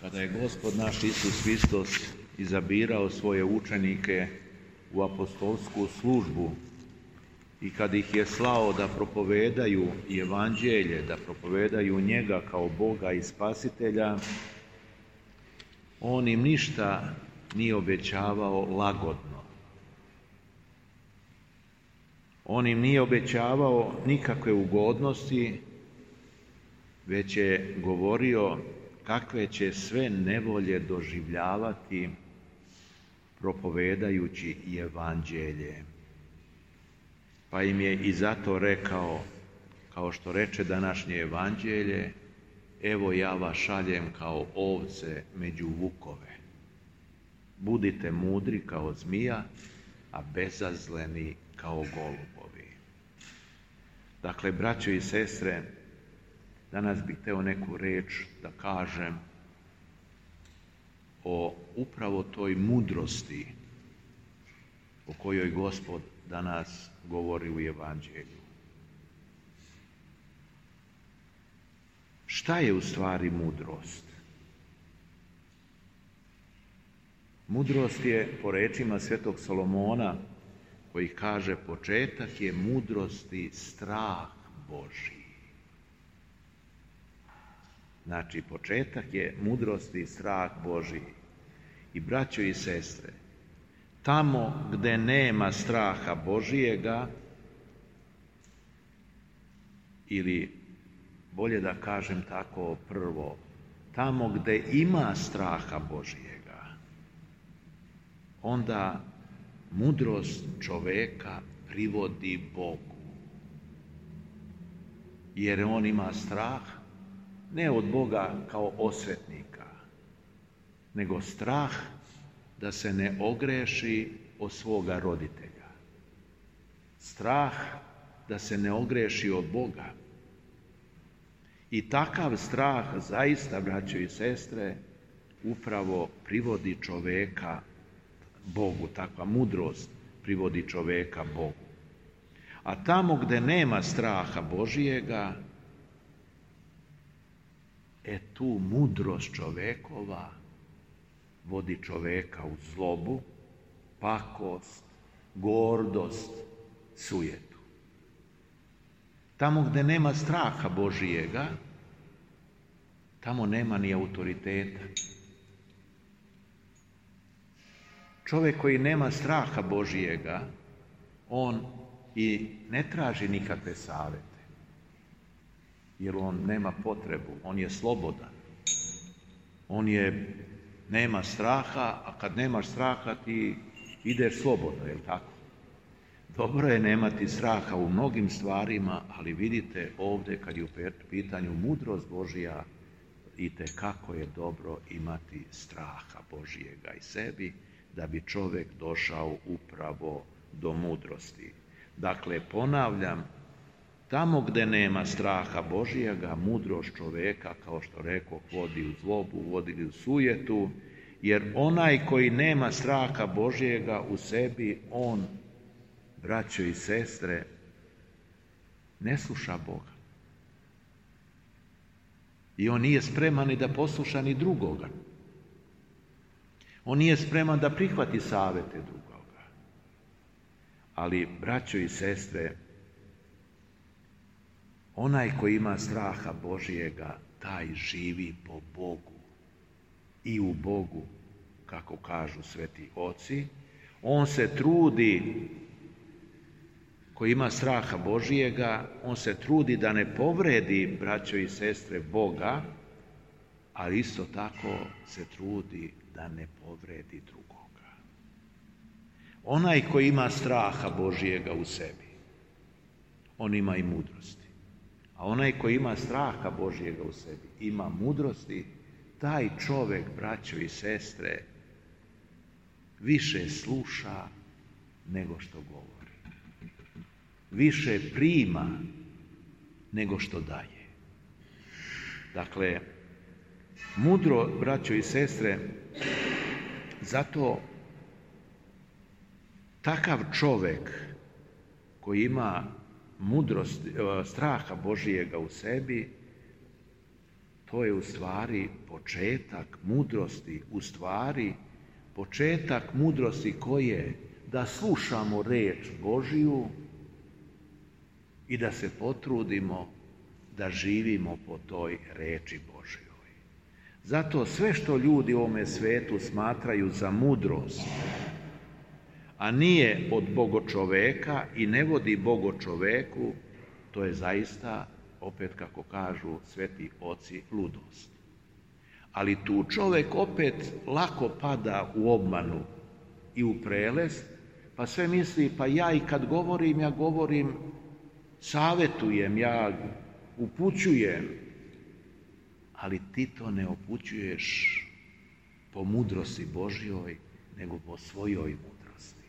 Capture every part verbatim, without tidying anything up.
Kada je Gospod naš Isus Hristos izabirao svoje učenike u apostolsku službu i kad ih je slao da propovedaju evanđelje, da propovedaju njega kao Boga i Spasitelja, on im ništa nije obećavao lagodno. On im nije obećavao nikakve ugodnosti, već je govorio kakve će sve nevolje doživljavati propovedajući evanđelje. Pa im je i zato rekao, kao što reče današnje evanđelje, evo ja vas šaljem kao ovce među vukove. Budite mudri kao zmija, a bezazleni kao golubovi. Dakle, braćo i sestre, danas bih hteo neku reč da kažem o upravo toj mudrosti o kojoj Gospod danas govori u evanđelju. Šta je u stvari mudrost? Mudrost je, po rečima svetog Solomona, koji kaže početak je mudrosti strah Božji. Znači, početak je mudrosti strah Božji. I braćo i sestre, tamo gde nema straha Božijega, ili bolje da kažem tako prvo, tamo gde ima straha Božijega, onda mudrost čoveka privodi Bogu. Jer on ima strah ne od Boga kao osvetnika, nego strah da se ne ogreši o svoga roditelja. Strah da se ne ogreši od Boga. I takav strah zaista, braćo i sestre, upravo privodi čoveka Bogu. Takva mudrost privodi čoveka Bogu. A tamo gde nema straha Božijega, e tu mudrost čovekova vodi čoveka u zlobu, pakost, gordost, sujetu. Tamo gde nema straha Božijega, tamo nema ni autoriteta. Čovjek koji nema straha Božijega, on i ne traži nikakve savete, jer on nema potrebu, on je slobodan. On je, nema straha, a kad nemaš straha ti ideš slobodno, je li tako? Dobro je nemati straha u mnogim stvarima, ali vidite ovdje kad je u pitanju mudrost Božija, itekako je dobro imati straha Božijega i sebi, da bi čovjek došao upravo do mudrosti. Dakle, ponavljam, tamo gde nema straha Božijega, mudrost čoveka, kao što rekoh, vodi u zlobu, vodi u sujetu, jer onaj koji nema straha Božijega u sebi, on, braćo i sestre, ne sluša Boga. I on nije spreman ni da posluša ni drugoga. On nije spreman da prihvati savete drugoga. Ali, braćo i sestre, onaj koji ima straha Božijega, taj živi po Bogu i u Bogu, kako kažu sveti oci. On se trudi, koji ima straha Božijega, on se trudi da ne povredi, braćo i sestre, Boga, ali isto tako se trudi da ne povredi drugoga. Onaj koji ima straha Božijega u sebi, on ima i mudrosti. A onaj koji ima straha Božijega u sebi, ima mudrosti, taj čovjek, braćo i sestre, više sluša nego što govori. Više prima nego što daje. Dakle, mudro, braćo i sestre, zato takav čovjek koji ima mudrost, straha Božijega u sebi, to je u stvari početak mudrosti, u stvari početak mudrosti koje da slušamo reč Božiju i da se potrudimo da živimo po toj reči Božjoj. Zato sve što ljudi u ovome svetu smatraju za mudrost, a nije od bogočoveka i ne vodi bogočoveku, to je zaista, opet kako kažu sveti oci, ludost. Ali tu čovjek opet lako pada u obmanu i u prelest, pa sve misli, pa ja i kad govorim, ja govorim, savjetujem, ja upućujem, ali ti to ne upućuješ po mudrosti Božjoj, nego po svojoj mudrosti.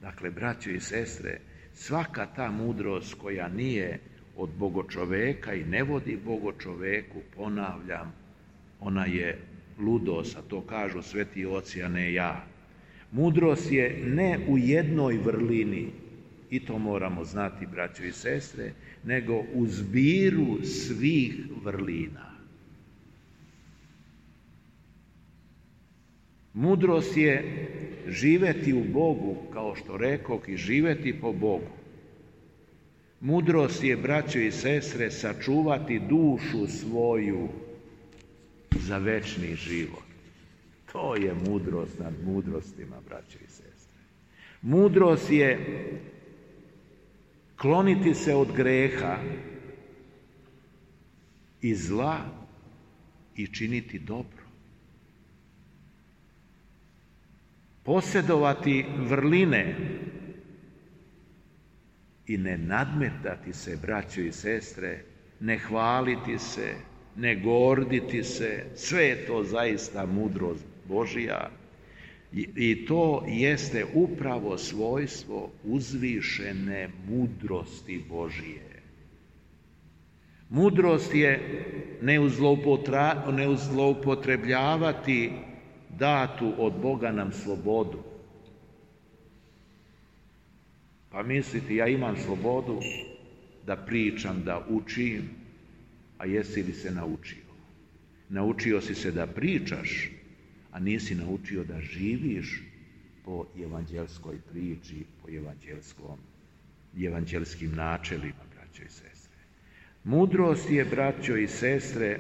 Dakle, braćo i sestre, svaka ta mudrost koja nije od bogočoveka i ne vodi bogočoveku, ponavljam, ona je ludost, a to kažu sveti oci, a ne ja. Mudrost je ne u jednoj vrlini, i to moramo znati, braćo i sestre, nego u zbiru svih vrlina. Mudrost je živeti u Bogu, kao što rekoh, i živeti po Bogu. Mudrost je, braćo i sestre, sačuvati dušu svoju za večni život. To je mudrost nad mudrostima, braćo i sestre. Mudrost je kloniti se od greha i zla i činiti dobro. Posjedovati vrline i ne nadmetati se, braćo i sestre, ne hvaliti se, ne gorditi se, sve je to zaista mudrost Božja i, i to jeste upravo svojstvo uzvišene mudrosti Božije. Mudrost je ne uzloupotrebljavati datu od Boga nam slobodu. Pa misliti, ja imam slobodu da pričam, da učim, a jesi li se naučio? Naučio si se da pričaš, a nisi naučio da živiš po evanđelskoj priči, po evanđelskom, evanđelskim načelima, braćo i sestre. Mudrost je, braćo i sestre,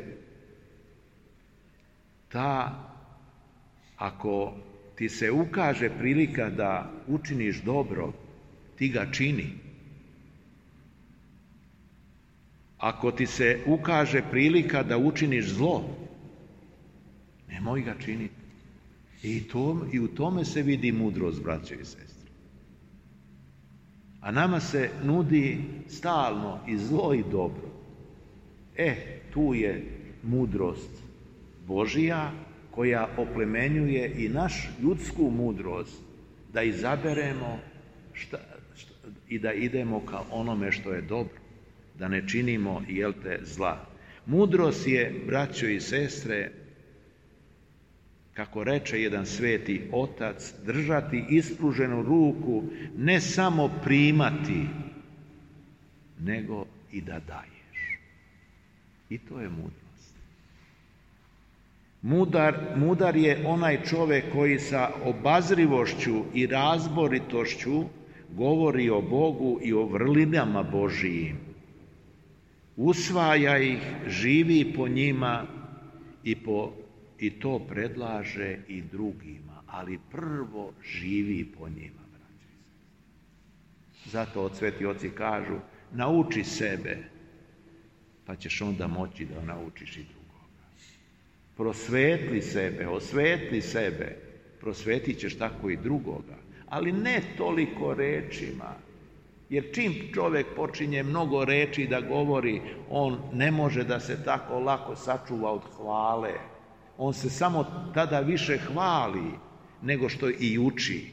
ta, ako ti se ukaže prilika da učiniš dobro, ti ga čini. Ako ti se ukaže prilika da učiniš zlo, nemoj ga činiti. I, to, i u tome se vidi mudrost, braćo i sestre. A nama se nudi stalno i zlo i dobro. E, tu je mudrost Božija koja oplemenjuje i naš ljudsku mudrost da izaberemo šta, šta, i da idemo ka onome što je dobro, da ne činimo, jel te, zla. Mudrost je, braćo i sestre, kako reče jedan sveti otac, držati ispruženu ruku, ne samo primati, nego i da daješ. I to je mudrost. Mudar, mudar je onaj čovjek koji sa obazrivošću i razboritošću govori o Bogu i o vrlinama Božijim. Usvaja ih, živi po njima i, po, i to predlaže i drugima, ali prvo živi po njima. Zato od sveti oci kažu, nauči sebe, pa ćeš onda moći da naučiš i drugoga. Prosvetli sebe, osvetli sebe, prosvetit ćeš tako i drugoga, ali ne toliko rečima. Jer čim čovjek počinje mnogo reči da govori, on ne može da se tako lako sačuva od hvale. On se samo tada više hvali nego što i uči.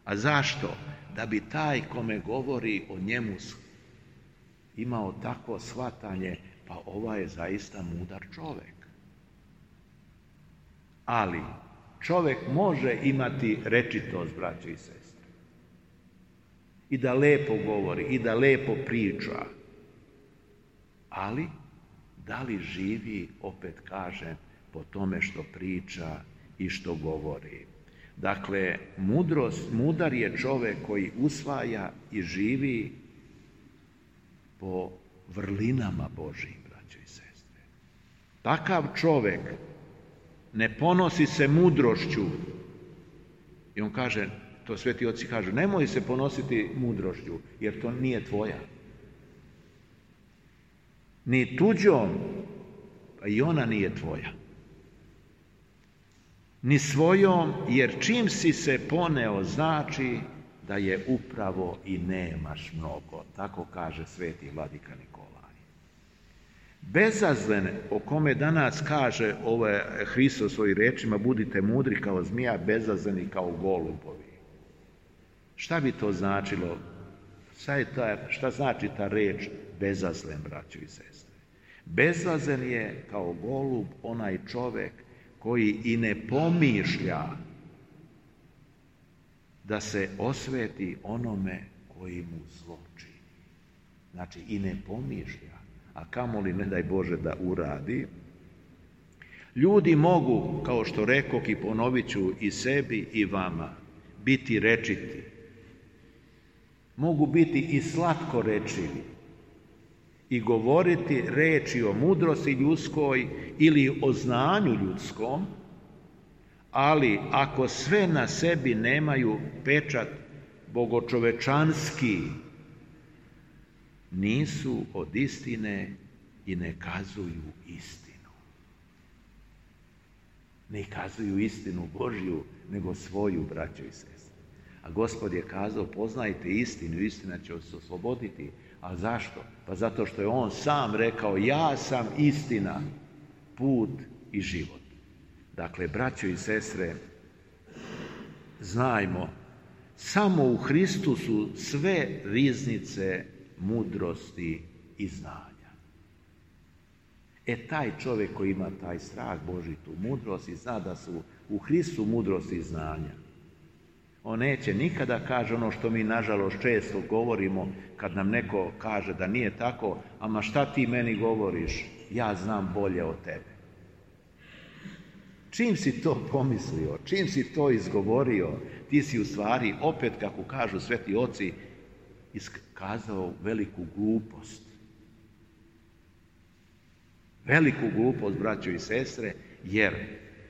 A zašto? Da bi taj kome govori o njemu imao takvo shvatanje, pa ovaj je zaista mudar čovjek. Ali čovjek može imati rečitost, braćo i sestre. I da lepo govori, i da lepo priča. Ali da li živi, opet kažem, po tome što priča i što govori. Dakle, mudrost, mudar je čovjek koji usvaja i živi po vrlinama Božjim, braćo i sestre. Takav čovjek ne ponosi se mudrošću. I on kaže, to sveti oci kažu, nemoj se ponositi mudrošću, jer to nije tvoja. Ni tuđom, a i ona nije tvoja. Ni svojom, jer čim si se poneo, znači da je upravo i nemaš mnogo. Tako kaže sveti vladika Nikolaj. Bezazlen, o kome danas kaže ovaj Hristos svojim rečima, budite mudri kao zmija, bezazleni kao golubovi. Šta bi to značilo? Šta, je ta, šta znači ta reč bezazlen, braćo i sestre? Bezazlen je kao golub onaj čovjek koji i ne pomišlja da se osveti onome koji mu zlo čini. Znači, i ne pomišlja, a kamoli, ne daj Bože, da uradi. Ljudi mogu, kao što rekoh i ponovit ću i sebi i vama, biti rečiti. Mogu biti i slatko rečivi i govoriti reči o mudrosti ljudskoj ili o znanju ljudskom, ali ako sve na sebi nemaju pečat bogočovečanski, nisu od istine i ne kazuju istinu. Ne kazuju istinu Božju, nego svoju, braćo i sestre. A Gospod je kazao, poznajte istinu, istina će vas osloboditi. A zašto? Pa zato što je on sam rekao, ja sam istina, put i život. Dakle, braćo i sestre, znajmo, samo u Hristu su sve riznice mudrosti i znanja. E, taj čovjek koji ima taj strah Božji, tu mudrost i zna da su u Hristu mudrost i znanja, on neće nikada kaže ono što mi nažalost često govorimo kad nam neko kaže da nije tako, ama šta ti meni govoriš, ja znam bolje od tebe. Čim si to pomislio, čim si to izgovorio, ti si u stvari, opet kako kažu sveti oci, iskazao veliku glupost. Veliku glupost, braćo i sestre, jer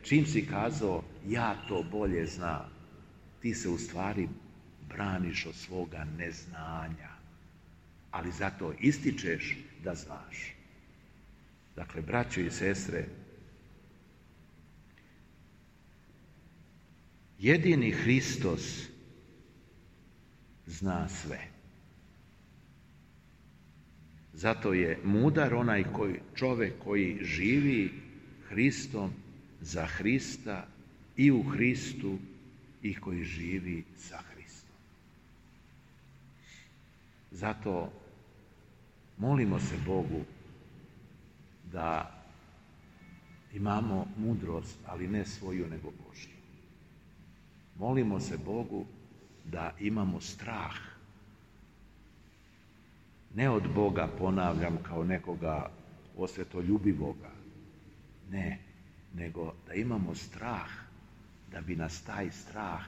čim si kazao ja to bolje znam, ti se u stvari braniš od svoga neznanja, ali zato ističeš da znaš. Dakle, braćo i sestre, jedini Hristos zna sve. Zato je mudar onaj koji, čovjek koji živi Hristom za Hrista i u Hristu i koji živi sa Hristom. Zato molimo se Bogu da imamo mudrost, ali ne svoju nego Božju. Molimo se Bogu da imamo strah. Ne od Boga, ponavljam, kao nekoga osvetoljubivoga. Ne, nego da imamo strah, da bi nas taj strah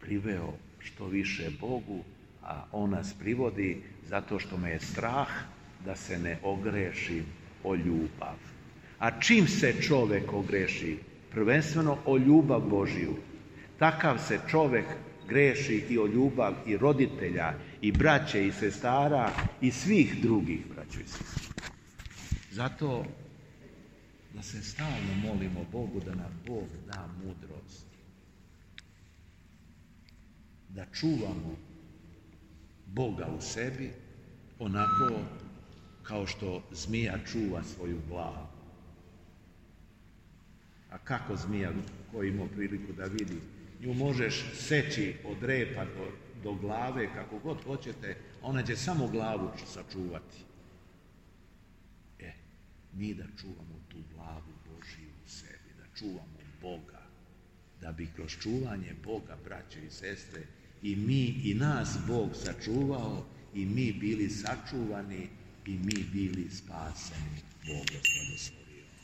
priveo što više Bogu, a on nas privodi zato što me je strah da se ne ogrešim o ljubav. A čim se čovjek ogreši, prvenstveno o ljubav Božju, takav se čovjek greši i o ljubav i roditelja, i braće, i sestara, i svih drugih, braćo i sestre. Zato da se stalno molimo Bogu da nam Bog da mudrost, da čuvamo Boga u sebi onako kao što zmija čuva svoju glavu. A kako zmija, ko ima priliku da vidi, nju možeš seći od repa do, do glave, kako god hoćete, ona će samo glavu sačuvati. E, mi da čuvamo tu glavu Božiju u sebi, da čuvamo Boga, da bi kroz čuvanje Boga, braće i sestre, i mi i nas Bog sačuvao i mi bili sačuvani i mi bili spaseni. Bog vas blagoslovi.